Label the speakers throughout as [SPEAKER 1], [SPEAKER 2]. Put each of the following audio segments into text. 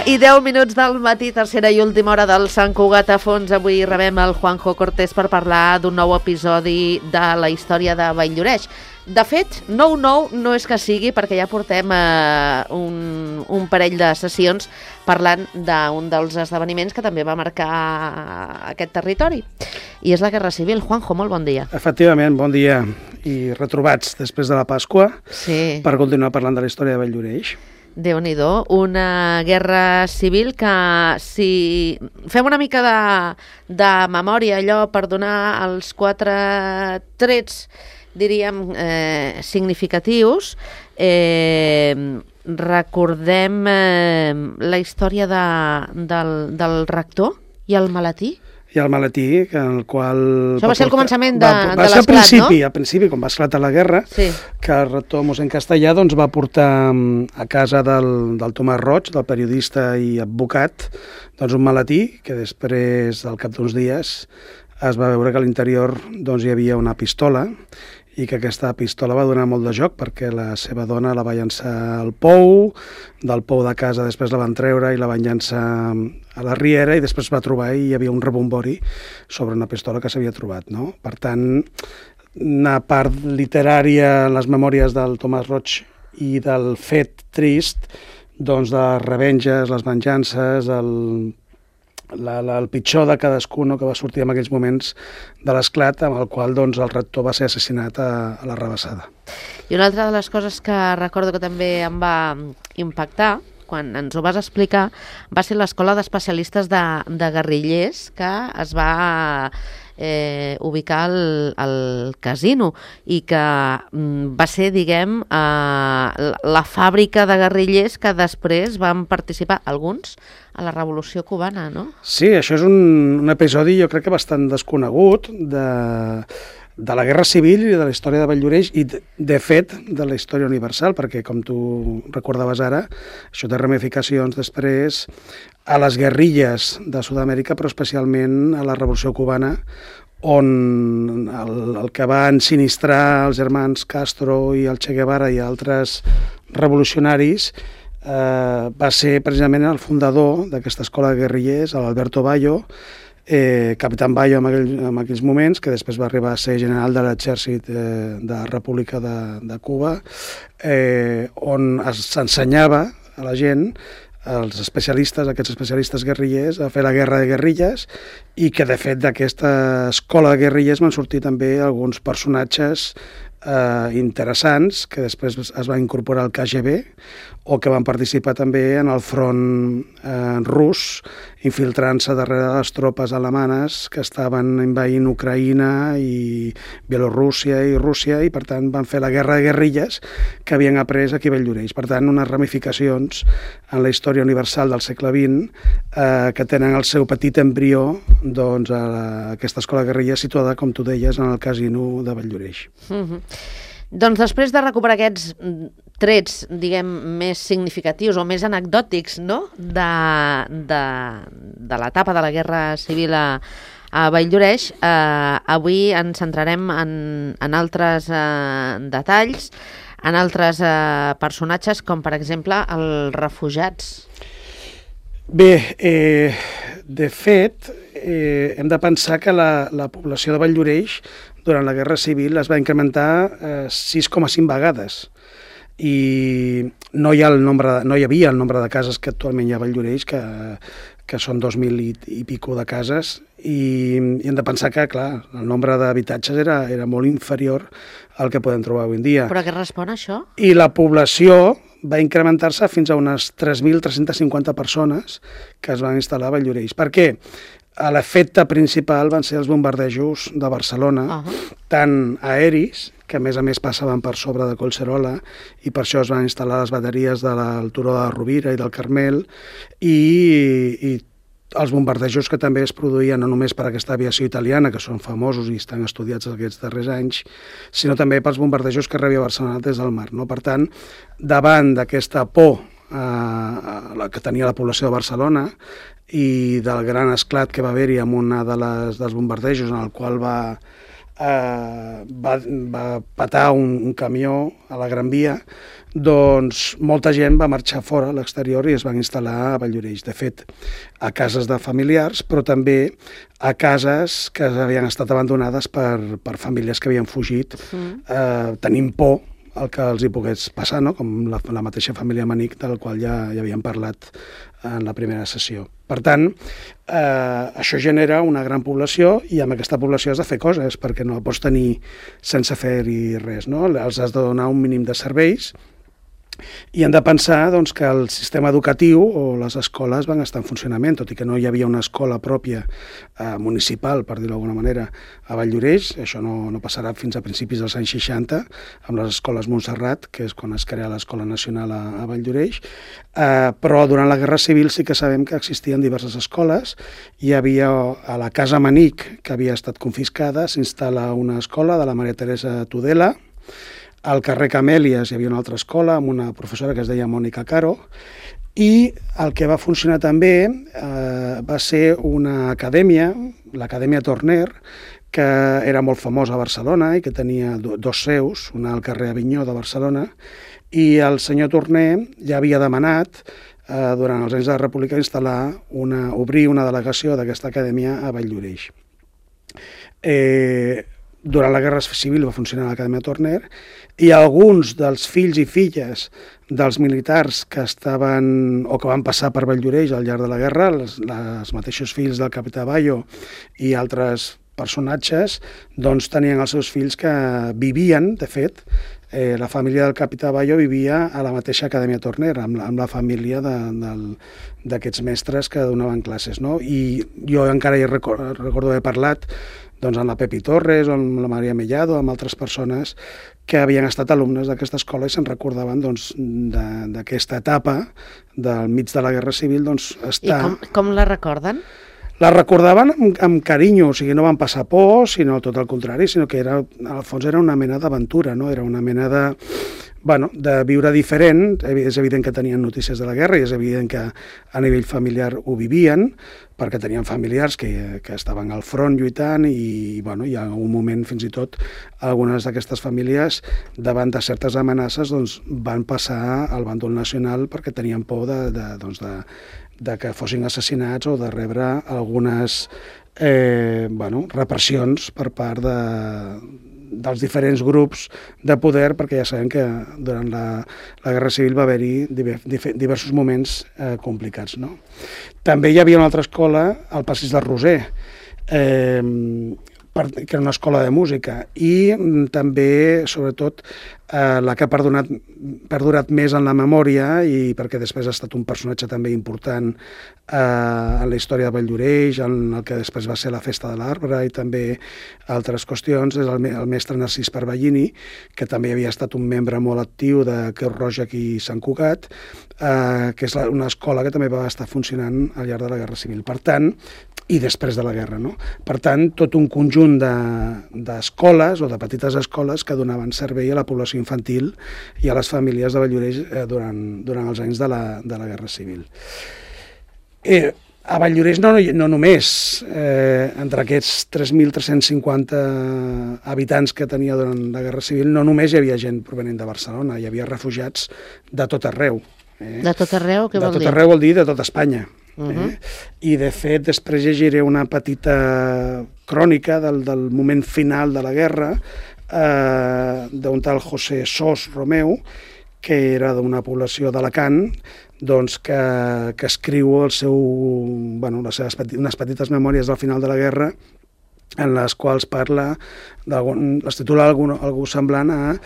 [SPEAKER 1] 11:10 del matí, tercera i última hora del Sant Cugat a fons. Avui rebem el Juanjo Cortés per parlar d'un nou episodi de la història de Vall-lloreix. De fet, nou no és que sigui, perquè ja portem un parell de sessions parlant d'un dels esdeveniments que també va marcar aquest territori. I és la Guerra Civil. Juanjo, molt bon dia.
[SPEAKER 2] Efectivament, bon dia. I retrobats després de la Pasqua per continuar parlant de la història de Vall-lloreix.
[SPEAKER 1] Déu-n'hi-do, una guerra civil que, si fem una mica de memòria, allò per donar els 4 trets, diríem, significatius, recordem la història del rector i el maletí.
[SPEAKER 2] I el maletí, en el qual...
[SPEAKER 1] Això va ser el començament de
[SPEAKER 2] l'esclat, no? Al principi, quan va esclatar la guerra, que el rector mossèn Castellà va portar a casa del Tomàs Roig, del periodista i advocat, un maletí que després, al cap d'uns dies, es va veure que a l'interior hi havia una pistola i que aquesta pistola va donar molt de joc perquè la seva dona la va llançar al pou, del pou de casa després la van treure i la van llançar a la riera i després va trobar i hi havia un rebombori sobre una pistola que s'havia trobat, no? Per tant, una part literària en les memòries del Tomàs Roig i del fet trist, de les revenges, les venjances, el pitjor de cadascun que va sortir en aquells moments de l'esclat, amb el qual el rector va ser assassinat a la Rabassada.
[SPEAKER 1] I una altra de les coses que recordo que també em va impactar, quan ens ho vas explicar, va ser l'escola d'especialistes de guerrillers que es va ubicar al casino i que va ser, diguem, la fàbrica de guerrillers que després van participar, alguns, a la Revolució Cubana, no?
[SPEAKER 2] Sí, això és un episodi, jo crec que bastant desconegut de la Guerra Civil i de la història de Vall-lloreix i, de fet, de la història universal, perquè, com tu recordaves ara, això té ramificacions després a les guerrilles de Sud-amèrica, però especialment a la Revolució Cubana, on el que va ensinistrar els germans Castro i el Che Guevara i altres revolucionaris va ser precisament el fundador d'aquesta escola de guerrillers, l'Alberto Bayo, capitán Bayo en aquells moments, que després va arribar a ser general de l'exèrcit de la República de Cuba, on s'ensenyava a la gent, als especialistes, aquests especialistes guerrillers, a fer la guerra de guerrilles i que, de fet, d'aquesta escola de guerrilles van sortir també alguns personatges interessants que després es van incorporar al KGB o que van participar també en el front rus, infiltrant-se darrere les tropes alemanes que estaven envaint Ucraïna i Bielorússia i Rússia i, per tant, van fer la guerra de guerrilles que havien après aquí a Vall-lloreix. Per tant, unes ramificacions en la història universal del segle XX que tenen el seu petit embrió a aquesta escola de guerrilles situada, com tu deies, en el casino de Vall-lloreix.
[SPEAKER 1] Doncs després de recuperar aquests trets, diguem, més significatius o més anecdòtics, no?, de l'etapa de la Guerra Civil a Vall-lloreix, avui ens centrarem en altres detalls, en altres personatges, com per exemple els refugiats.
[SPEAKER 2] Bé, de fet, hem de pensar que la població de Vall-lloreix durant la Guerra Civil es va incrementar 6,5 vegades i no hi havia el nombre de cases que actualment hi ha a Vall-lloreix, que són 2.000 i pico de cases, i hem de pensar que, clar, el nombre d'habitatges era molt inferior al que podem trobar avui en dia.
[SPEAKER 1] Però a què respon això?
[SPEAKER 2] I la població va incrementar-se fins a unes 3.350 persones que es van instal·lar a Vall-lloreix. Per què? L'efecte principal van ser els bombardejos de Barcelona, tant aeris, que a més passaven per sobre de Collserola, i per això es van instal·lar les bateries del turó de la Rovira i del Carmel, i els bombardejos que també es produïen no només per aquesta aviació italiana, que són famosos i estan estudiats aquests darrers anys, sinó també pels bombardejos que rebia Barcelona des del mar. Per tant, davant d'aquesta por que tenia la població de Barcelona i del gran esclat que va haver-hi amb una dels bombardejos en el qual va va patar un camió a la Gran Via, doncs molta gent va marxar fora a l'exterior i es van instal·lar a Valldoreix. De fet, a cases de familiars, però també a cases que havien estat abandonades per famílies que havien fugit, tenint por el que els hi pogués passar, no? Com la mateixa família Manic, del qual ja havíem parlat en la primera sessió. Per tant, això genera una gran població i amb aquesta població has de fer coses, perquè no la pots tenir sense fer-hi res, no? Els has de donar un mínim de serveis i hem de pensar doncs, que el sistema educatiu o les escoles van estar en funcionament, tot i que no hi havia una escola pròpia municipal, per dir-ho d'alguna manera, a Valldoreix. Això no passarà fins a principis dels anys 60, amb les escoles Montserrat, que és quan es crea l'Escola Nacional a Valldoreix, però durant la Guerra Civil sí que sabem que existien diverses escoles. Hi havia a la Casa Manic, que havia estat confiscada, s'instal·la una escola de la Maria Teresa Tudela. Al carrer Camèlies hi havia una altra escola amb una professora que es deia Mònica Caro, i el que va funcionar també va ser una acadèmia, l'Acadèmia Torner, que era molt famosa a Barcelona i que tenia dos seus, una al carrer Avinyó de Barcelona, i el senyor Torner ja havia demanat durant els anys de la República obrir una delegació d'aquesta acadèmia a Valldoreix. Durant la Guerra Civil va funcionar l'Acadèmia Torner i alguns dels fills i filles dels militars que estaven o que van passar per Valldoreix al llarg de la guerra, els mateixos fills del capità Bayo i altres personatges, doncs tenien els seus fills que vivien, de fet, la família del capità Bayo vivia a la mateixa Acadèmia Torner, amb la família d'aquests mestres que donaven classes, no? I jo encara hi recordo haver parlat doncs amb la Pepi Torres o amb la Maria Mellado, amb altres persones que havien estat alumnes d'aquesta escola i se'n recordaven doncs, d'aquesta etapa del mig de la Guerra Civil. Doncs,
[SPEAKER 1] I com la recorden?
[SPEAKER 2] La recordaven amb carinyo, o sigui, no van passar por, sinó tot el contrari, sinó que al fons era una mena d'aventura, no? Era una mena de viure diferent. És evident que tenien notícies de la guerra i és evident que a nivell familiar ho vivien, perquè tenien familiars que estaven al front lluitant i hi ha un moment fins i tot algunes d'aquestes famílies davant de certes amenaces doncs, van passar al bàndol nacional perquè tenien por de que fossin assassinats o de rebre algunes repressions per part dels diferents grups de poder, perquè ja sabem que durant la Guerra Civil va haver-hi diversos moments complicats, no? També hi havia una altra escola, al Passeig del Roser, que era una escola de música, i també, sobretot, la que ha perdurat més en la memòria, i perquè després ha estat un personatge també important en la història de Valldoreix, en el que després va ser la Festa de l'Arbre i també altres qüestions, és el mestre Narcís Parvallini, que també havia estat un membre molt actiu de Creu Roja aquí a Sant Cugat, que és una escola que també va estar funcionant al llarg de la Guerra Civil. Per tant, i després de la guerra, no? Per tant, tot un conjunt d'escoles o de petites escoles que donaven servei a la població infantil i a les famílies de Valldoreix durant els anys de la Guerra Civil. A Valldoreix no només, entre aquests 3.350 habitants que tenia durant la Guerra Civil, no només hi havia gent provenent de Barcelona, hi havia refugiats de tot arreu.
[SPEAKER 1] De tot arreu, què vol dir?
[SPEAKER 2] De tot arreu vol dir de tot Espanya. I de fet després llegiré una petita crònica del moment final de la guerra d'un tal José Sos Romeu, que era d'una població d'Alacant, doncs que escriu unes petites memòries del final de la guerra, en les quals parla, les titula algú semblant a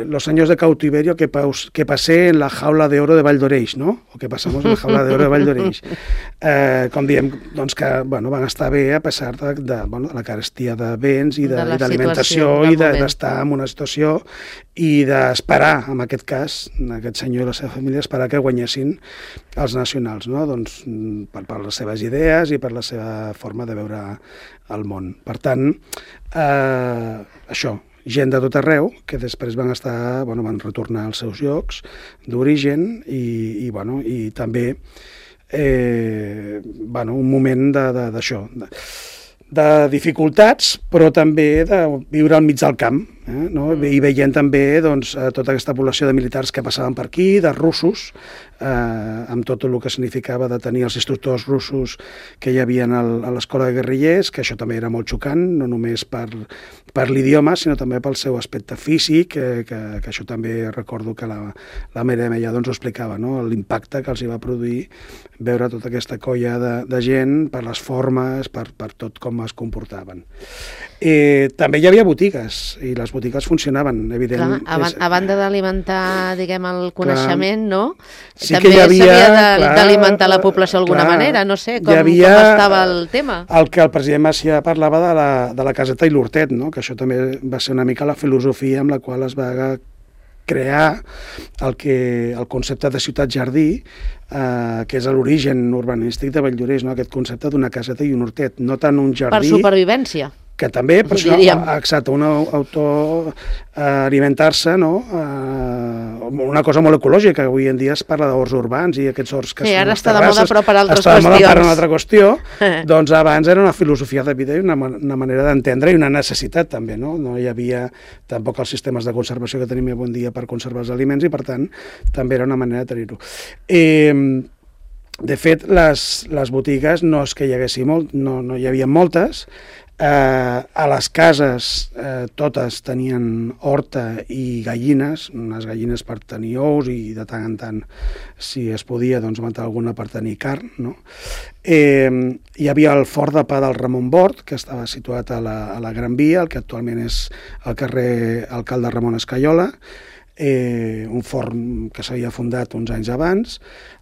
[SPEAKER 2] los años de cautiverio que pasé en la jaula de oro de Valldoreix, no? O que passamos en la jaula de oro de Valldoreix. Com diem, doncs que van estar bé a pesar de la carestia de béns i d'alimentació i d'estar en una situació i d'esperar, en aquest cas, aquest senyor i la seva família, esperar que guanyessin els nacionals, no? Doncs per les seves idees i per la seva forma de veure el món. Per tant, això, gent de tot arreu, que després van retornar als seus llocs d'origen i també un moment d'això, de dificultats, però també de viure al mig del camp, no? I veient també doncs, tota aquesta població de militars que passaven per aquí, de russos, amb tot el que significava de tenir els instructors russos que hi havia a l'escola de guerrillers, que això també era molt xocant, no només per l'idioma, sinó també pel seu aspecte físic, que això també recordo que la Mireia ja doncs, ho explicava, no? L'impacte que els hi va produir veure tota aquesta colla de gent per les formes, per tot com es comportaven. També hi havia botigues, i les botigues funcionaven, evidentment.
[SPEAKER 1] Clar, a banda d'alimentar, diguem, el coneixement, no?
[SPEAKER 2] Sí
[SPEAKER 1] també s'havia d'alimentar la població d'alguna manera, no sé, com estava el tema.
[SPEAKER 2] El que el president Macià parlava de la caseta i l'hortet, no? Que això també va ser una mica la filosofia amb la qual es va crear el concepte de ciutat-jardí, que és l'origen urbanístic de Valldoreix, no? Aquest concepte d'una caseta i un hortet, no tant un jardí...
[SPEAKER 1] Per supervivència.
[SPEAKER 2] Que també, per això, exacte, un autoalimentar-se, no? Una cosa molt ecològica, avui en dia es parla d'horts urbans i aquests horts que
[SPEAKER 1] sí,
[SPEAKER 2] són
[SPEAKER 1] ara
[SPEAKER 2] les
[SPEAKER 1] està de moda, però per altres
[SPEAKER 2] qüestions. Està de moda per una altra qüestió, doncs abans era una filosofia de vida i una manera d'entendre i una necessitat també, no? No hi havia tampoc els sistemes de conservació que tenim avui en dia per conservar els aliments i, per tant, també era una manera de tenir-ho. De fet, les botigues no és que hi haguessin no hi havia moltes. A les cases totes tenien horta i gallines, unes gallines per tenir ous i de tant en tant, si es podia, doncs matar alguna per tenir carn, no? Hi havia el Forn de Pa del Ramon Bort, que estava situat a la Gran Via, el que actualment és el carrer Alcalde Ramon Escaiola, un forn que s'havia fundat uns anys abans.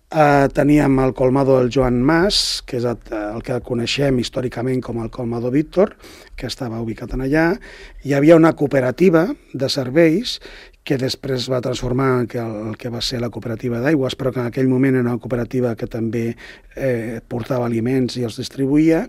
[SPEAKER 2] Teníem el colmado del Joan Mas, que és el que coneixem històricament com el colmado Víctor, que estava ubicat en allà. Hi havia una cooperativa de serveis que després va transformar en el que va ser la cooperativa d'aigües, però que en aquell moment era una cooperativa que també portava aliments i els distribuïa,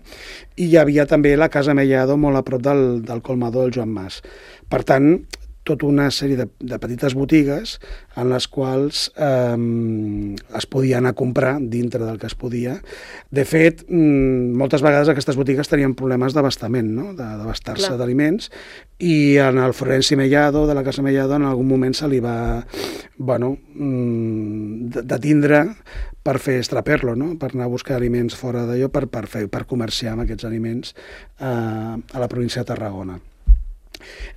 [SPEAKER 2] i hi havia també la Casa Mellado molt a prop del colmado del Joan Mas. Per tant, tota una sèrie de petites botigues en les quals es podia anar a comprar dintre del que es podia. De fet, moltes vegades aquestes botigues tenien problemes d'abastament, no? D'abastar-se d'aliments, i en el Florenci Mellado, de la Casa Mellado, en algun moment se li va detindre per fer extraperlo, no? Per anar a buscar aliments fora d'allò, per comerciar amb aquests aliments a la província de Tarragona.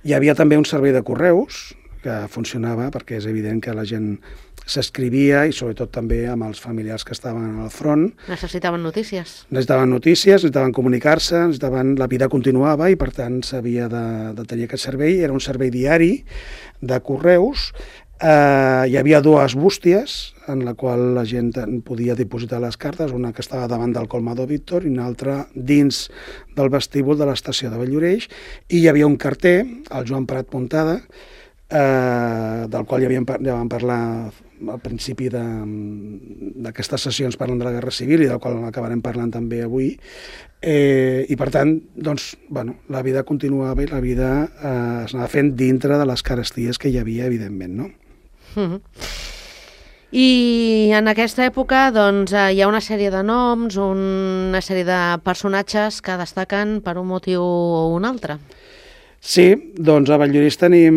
[SPEAKER 2] Hi havia també un servei de correus que funcionava perquè és evident que la gent s'escrivia i sobretot també amb els familiars que estaven al front.
[SPEAKER 1] Necessitaven notícies.
[SPEAKER 2] Necessitaven comunicar-se, la vida continuava i per tant s'havia de tenir aquest servei. Era un servei diari de correus. Hi havia dues bústies en la qual la gent podia dipositar les cartes, una que estava davant del colmado Víctor i una altra dins del vestíbul de l'estació de Valldoreix, i hi havia un carter, el Joan Prat Puntada, del qual ja vam parlar al principi d'aquestes sessions parlant de la Guerra Civil i del qual acabarem parlant també avui, i per tant, doncs, la vida continuava i la vida es anava fent dintre de les caresties que hi havia, evidentment, no?
[SPEAKER 1] I en aquesta època doncs, hi ha una sèrie de noms, una sèrie de personatges que destaquen per un motiu o un altre.
[SPEAKER 2] Sí, doncs a Valldoreix tenim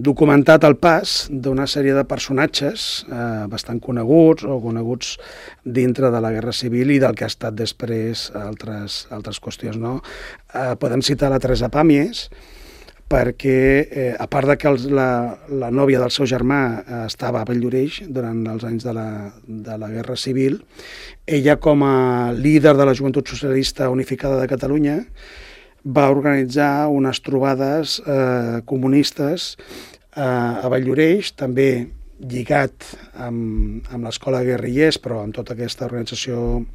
[SPEAKER 2] documentat el pas d'una sèrie de personatges bastant coneguts o coneguts dintre de la Guerra Civil i del que ha estat després altres qüestions, no? Podem citar la Teresa Pàmies, perquè a part de que la nòvia del seu germà estava a Valldoreix durant els anys de la Guerra Civil, ella com a líder de la Joventut Socialista Unificada de Catalunya va organitzar unes trobades comunistes a Valldoreix, també lligat amb l'Escola de Guerrillers, però amb tota aquesta organització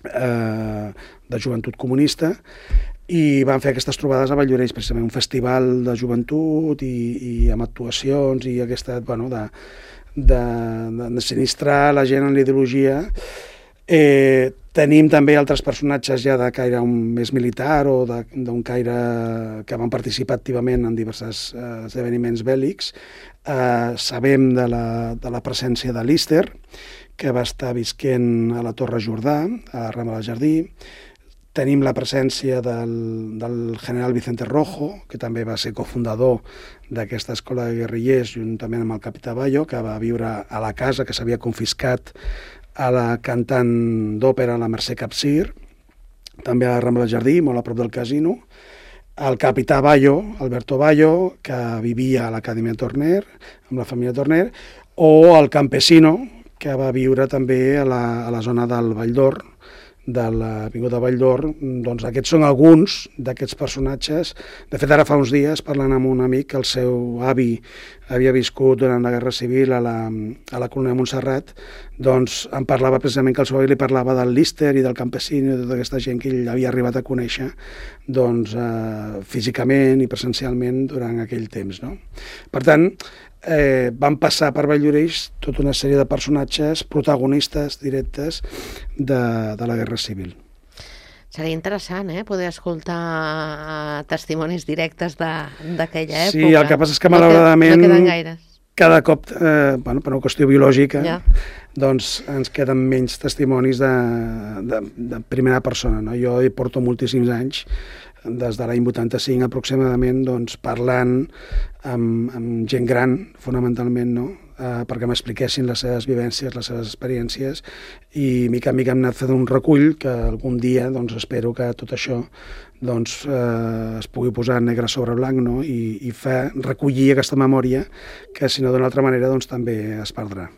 [SPEAKER 2] de joventut comunista, i van fer aquestes trobades a Valldoreix, precisament un festival de joventut i amb actuacions i aquesta, de sinistrar la gent en la ideologia. Tenim també altres personatges ja de caire més militar o d'un caire que van participar activament en diversos esdeveniments bèl·lics. Sabem de la presència de Líster, que va estar visquent a la Torre Jordà, a Rambla del Jardí. tenim la presència del general Vicente Rojo, que també va ser cofundador d'aquesta escola de guerrillers, juntament amb el capità Bayo, que va viure a la casa que s'havia confiscat a la cantant d'òpera, la Mercè Capcir, també a la Rambla del Jardí, molt a prop del casino, el capità Bayo, Alberto Bayo, que vivia a l'Acadèmia Torner, amb la família Torner, o el campesino, que va viure també a la zona del Vall d'Or, de l'Avinguda Vall d'Or. Doncs aquests són alguns d'aquests personatges. De fet, ara fa uns dies, parlant amb un amic, que el seu avi havia viscut durant la Guerra Civil a la colònia de Montserrat, doncs em parlava precisament que el seu avi li parlava del Líster i del campesino i de tota aquesta gent que ell havia arribat a conèixer doncs, físicament i presencialment durant aquell temps. No? Per tant, van passar per Valldoreix tota una sèrie de personatges protagonistes directes de la Guerra Civil.
[SPEAKER 1] Seria interessant, poder escoltar testimonis directes d'aquella època.
[SPEAKER 2] Sí, el que passa és que malauradament
[SPEAKER 1] no queden gaires.
[SPEAKER 2] Cada cop, per una qüestió biològica, doncs ens queden menys testimonis de primera persona. No? Jo hi porto moltíssims anys, des de l'any 85 aproximadament, doncs, parlant amb gent gran, fonamentalment, no? Perquè m'expliquessin les seves vivències, les seves experiències, i mica en mica hem anat fent un recull que algun dia doncs, espero que tot això doncs, es pugui posar negre sobre blanc, no? I recollir aquesta memòria que, si no d'una altra manera, doncs, també es perdrà.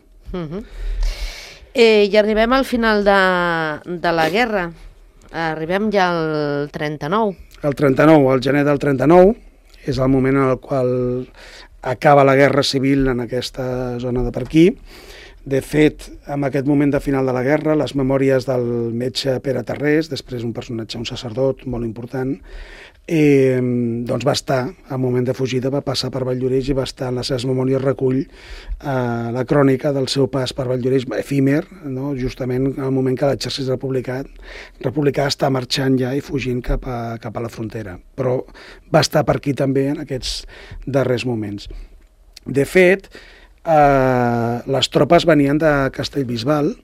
[SPEAKER 1] I arribem al final de la guerra. Arribem ja al 39.
[SPEAKER 2] El 39, el gener del 39, és el moment en el qual acaba la Guerra Civil en aquesta zona de per aquí. De fet, en aquest moment de final de la guerra, les memòries del metge Pere Tarrés, després un personatge, un sacerdot molt important, doncs va estar, al moment de fugida, va passar per Valldoreix i va estar en les seves memòries recull la crònica del seu pas per Valldoreix, efímer, no? Justament al moment que l'exèrcit republicà està marxant ja i fugint cap a la frontera. Però va estar per aquí també en aquests darrers moments. De fet, les tropes venien de Castellbisbal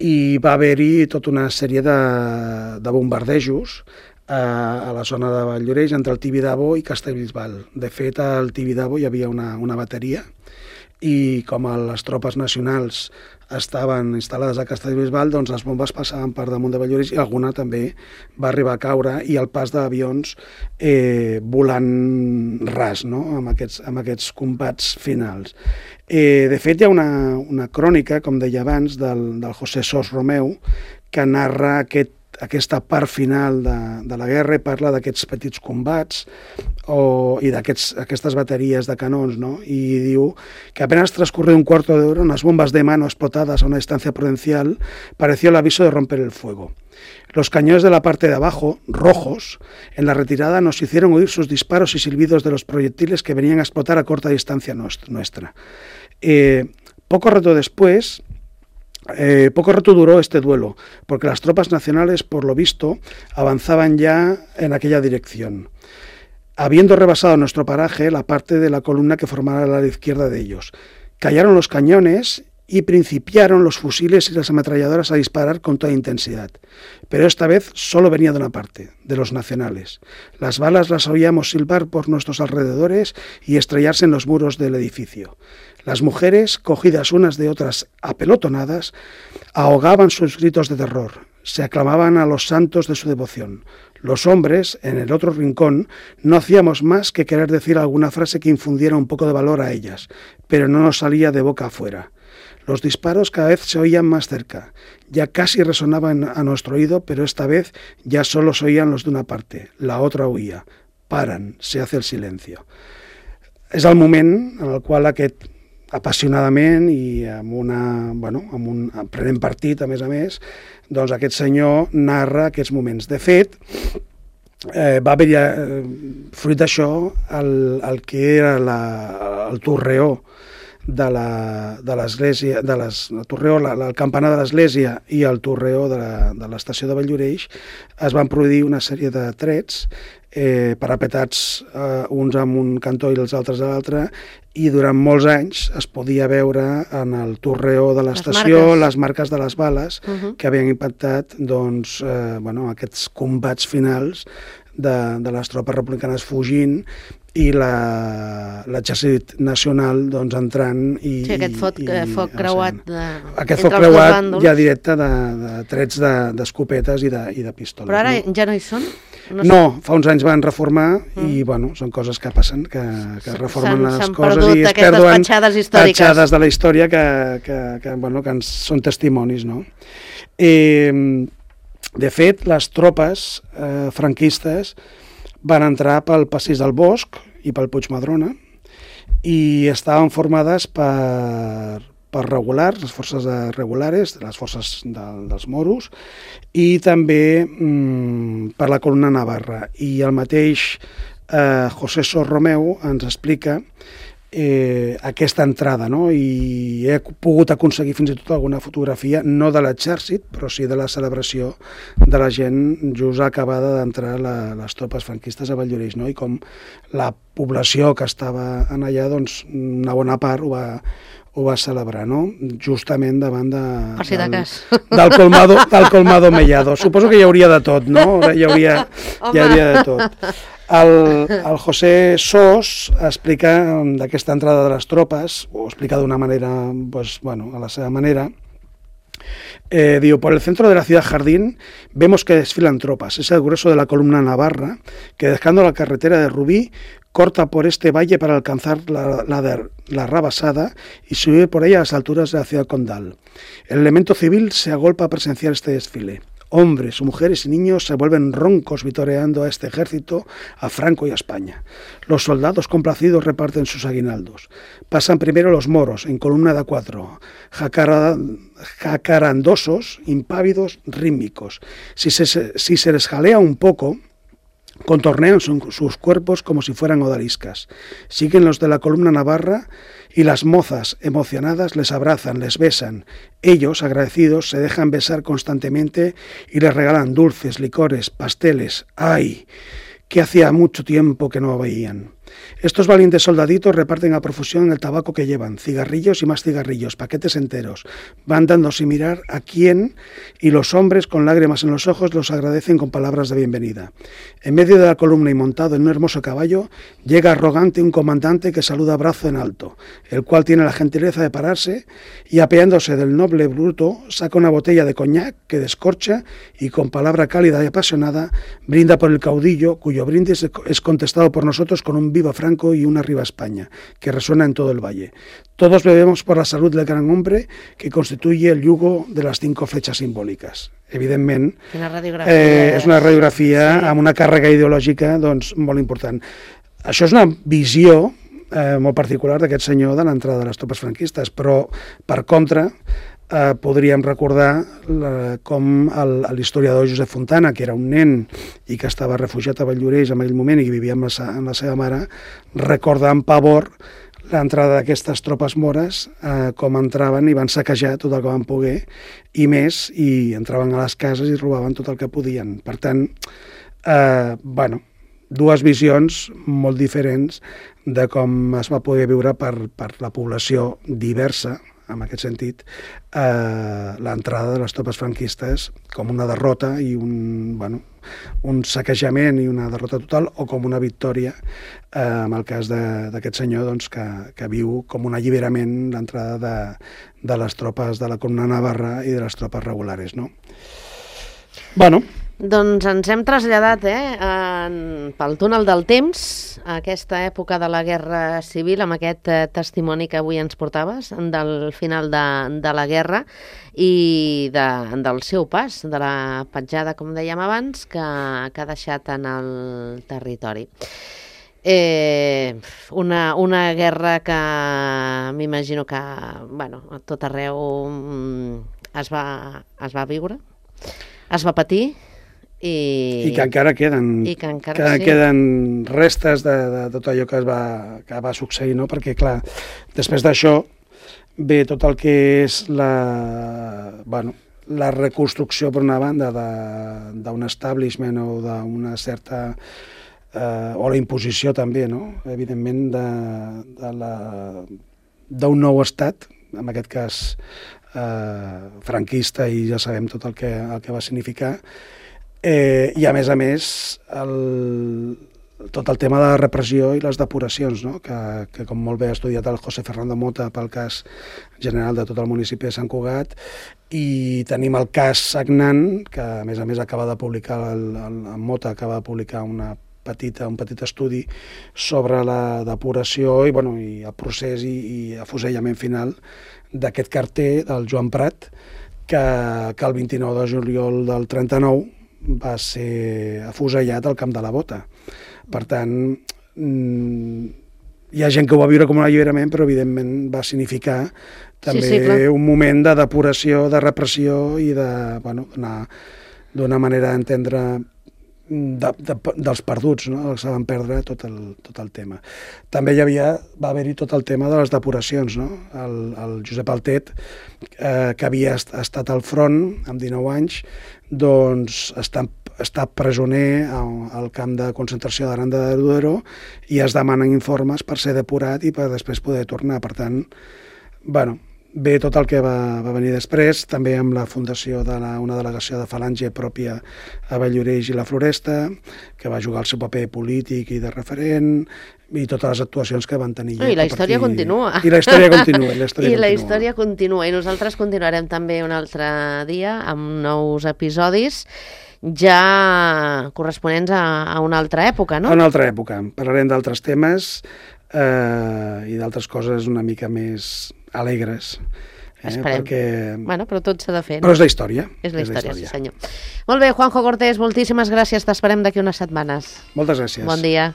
[SPEAKER 2] i va haver-hi tota una sèrie de bombardejos a la zona de Valldoreix, entre el Tibidabo i Castellbisbal. De fet, al Tibidabo hi havia una bateria i com les tropes nacionals estaven instal·lades a Castellbisbal, doncs les bombes passaven per damunt de Valldoreix i alguna també va arribar a caure, i el pas d'avions volant ras, no? amb aquests combats finals. De fet, hi ha una crònica, com deia abans, del José Sos Romeu, que narra aquesta part final de la guerra i parla d'aquests petits combats i d'aquestas baterías de canons, ¿no? Y diu que apenas transcurrió un cuarto de hora, unas bombas de mano explotadas a una distancia prudencial pareció el aviso de romper el fuego. Los cañones de la parte de abajo, rojos, en la retirada nos hicieron oír sus disparos y silbidos de los proyectiles que venían a explotar a corta distancia nuestra. Poco rato duró este duelo, porque las tropas nacionales, por lo visto, avanzaban ya en aquella dirección, habiendo rebasado nuestro paraje la parte de la columna que formaba la izquierda de ellos. Callaron los cañones y principiaron los fusiles y las ametralladoras a disparar con toda intensidad. Pero esta vez solo venía de una parte, de los nacionales. Las balas las oíamos silbar por nuestros alrededores y estrellarse en los muros del edificio. Las mujeres, cogidas unas de otras apelotonadas, ahogaban sus gritos de terror. Se aclamaban a los santos de su devoción. Los hombres, en el otro rincón, no hacíamos más que querer decir alguna frase que infundiera un poco de valor a ellas, pero no nos salía de boca afuera. Los disparos cada vez se oían más cerca. Ya casi resonaban a nuestro oído, pero esta vez ya solo se oían los de una parte. La otra huía. Paran, se hace el silencio. És el moment en el qual aquest apassionadament i prenent partit, a més, doncs aquest senyor narra aquests moments. De fet, va haver fruit d'això el que era el torreó de l'església, el torreó, el campanar de l'església i el torreó de l'estació de Valldoreix, es van produir una sèrie de trets parapetats uns amb un cantó i els altres a l'altre, i durant molts anys es podia veure en el torreó de l'estació les marques de les bales que havien impactat aquests combats finals de les tropes republicanes fugint i l'exèrcit nacional entrant i...
[SPEAKER 1] Sí, aquest foc creuat
[SPEAKER 2] aquest foc creuat ja directe de trets d'escopetes i de pistoles.
[SPEAKER 1] Però ara ja no hi són?
[SPEAKER 2] No, fa uns anys van reformar i són coses que passen, que reformen les coses i es perden petjades de la història que són testimonis, no? De fet, les tropes franquistes van entrar pel Passeig del Bosc i pel Puigmadrona i estaven formades per regulars, les forces regulares, les forces dels moros, i també per la columna navarra. I el mateix José Sos Romeu ens explica aquesta entrada, no? I he pogut aconseguir fins i tot alguna fotografia, no de l'exèrcit, però sí de la celebració de la gent just acabada d'entrar les tropes franquistes a Valldoreix, no? I com la població que estava allà, una bona part ho va celebrar, no? Justament davant del Colmado Mellado. Suposo que hi hauria de tot, no? Hi hauria de tot. El José Sos explica d'aquesta entrada de les tropes, ho explica d'una manera, a la seva manera. Diu, por el centro de la ciudad Jardín vemos que desfilan tropas. Es el grueso de la columna navarra que, dejando la carretera de Rubí, corta por este valle para alcanzar la Rabasada y subir por ella a las alturas de la ciudad condal. El elemento civil se agolpa a presenciar este desfile. Hombres, mujeres y niños se vuelven roncos vitoreando a este ejército, a Franco y a España. Los soldados complacidos reparten sus aguinaldos. Pasan primero los moros, en columna de 4, jacarandosos, impávidos, rítmicos. Si se les jalea un poco, contornean sus cuerpos como si fueran odaliscas. Siguen los de la columna navarra y las mozas, emocionadas, les abrazan, les besan. Ellos, agradecidos, se dejan besar constantemente y les regalan dulces, licores, pasteles. ¡Ay! Que hacía mucho tiempo que no veían. Estos valientes soldaditos reparten a profusión el tabaco que llevan, cigarrillos y más cigarrillos, paquetes enteros. Van dando sin mirar a quién, y los hombres, con lágrimas en los ojos, los agradecen con palabras de bienvenida. En medio de la columna y montado en un hermoso caballo, llega arrogante un comandante que saluda brazo en alto, el cual tiene la gentileza de pararse y, apeándose del noble bruto, saca una botella de coñac que descorcha y, con palabra cálida y apasionada, brinda por el caudillo, cuyo brindis es contestado por nosotros con un viva Franco y una arriba España, que resuena en todo el valle. Todos bebemos por la salud del gran hombre que constituye el yugo de las 5 flechas simbòliques. Evidentment, és una radiografia amb una càrrega ideològica molt important. Això és una visió molt particular d'aquest senyor de l'entrada de les tropes franquistes, però, per contra, podríem recordar com l'historiador Josep Fontana, que era un nen i que estava refugiat a Valldoreix en aquell moment i que vivia amb la seva mare, recorda amb pavor l'entrada d'aquestes tropes mores, com entraven i van saquejar tot el que van poder i més, i entraven a les cases i robaven tot el que podien. Per tant, dues visions molt diferents de com es va poder viure per la població diversa, en aquest sentit, l'entrada de les tropes franquistes com una derrota i un saquejament i una derrota total, o com una victòria, en el cas d'aquest senyor que viu com un alliberament l'entrada de les tropes de la columna navarra i de les tropes regulares, no?
[SPEAKER 1] Doncs ens hem traslladat pel túnel del temps a aquesta època de la Guerra Civil, amb aquest testimoni que avui ens portaves del final de la guerra i del seu pas, de la petjada, com dèiem abans, que ha deixat en el territori. Una guerra que m'imagino que a tot arreu es va viure, es va patir,
[SPEAKER 2] I que encara queden, queden restes de tot allò que va succeir, no? Perquè, clar, després d'això ve tot el que és la reconstrucció, per una banda, d'un establishment o d'una certa... o la imposició també, no? Evidentment, d'un nou estat, en aquest cas franquista, i ja sabem tot el que va significar, i a més, tot el tema de la repressió i les depuracions, no? que com molt bé ha estudiat el José Fernando Mota pel cas general de tot el municipi de Sant Cugat, i tenim el cas Sagnant, que a més acaba de publicar, el Mota acaba de publicar un petit estudi sobre la depuració i el procés i afusellament final d'aquest carter, del Joan Prat, que el 29 de juliol del 39 va ser afusellat al Camp de la Bota. Per tant, hi ha gent que ho va viure com un alliberament, però evidentment va significar també un moment de depuració, de repressió i d'una manera d'entendre dels perduts, no? Els van perdre tot el tema. També va haver-hi tot el tema de les depuracions, no? El Josep Altet, que havia estat al front amb 19 anys, doncs està presoner al camp de concentració d'Aranda de Duero i es demanen informes per ser depurat i per després poder tornar. Per tant, ve tot el que va venir després, també amb la fundació d'una delegació de Falange pròpia a Valldoreix i la Floresta, que va jugar el seu paper polític i de referent, i totes les actuacions que van tenir.
[SPEAKER 1] I la història continua.
[SPEAKER 2] I la història continua.
[SPEAKER 1] La història continua. I nosaltres continuarem també un altre dia amb nous episodis ja corresponents a una altra època, no?
[SPEAKER 2] A una altra època. Parlarem d'altres temes i d'altres coses una mica més alegres.
[SPEAKER 1] Esperem. Però tot s'ha de fer.
[SPEAKER 2] Però és la història.
[SPEAKER 1] És la història, sí senyor. Molt bé, Juanjo Cortés, moltíssimes gràcies. T'esperem d'aquí unes setmanes.
[SPEAKER 2] Moltes gràcies.
[SPEAKER 1] Bon dia.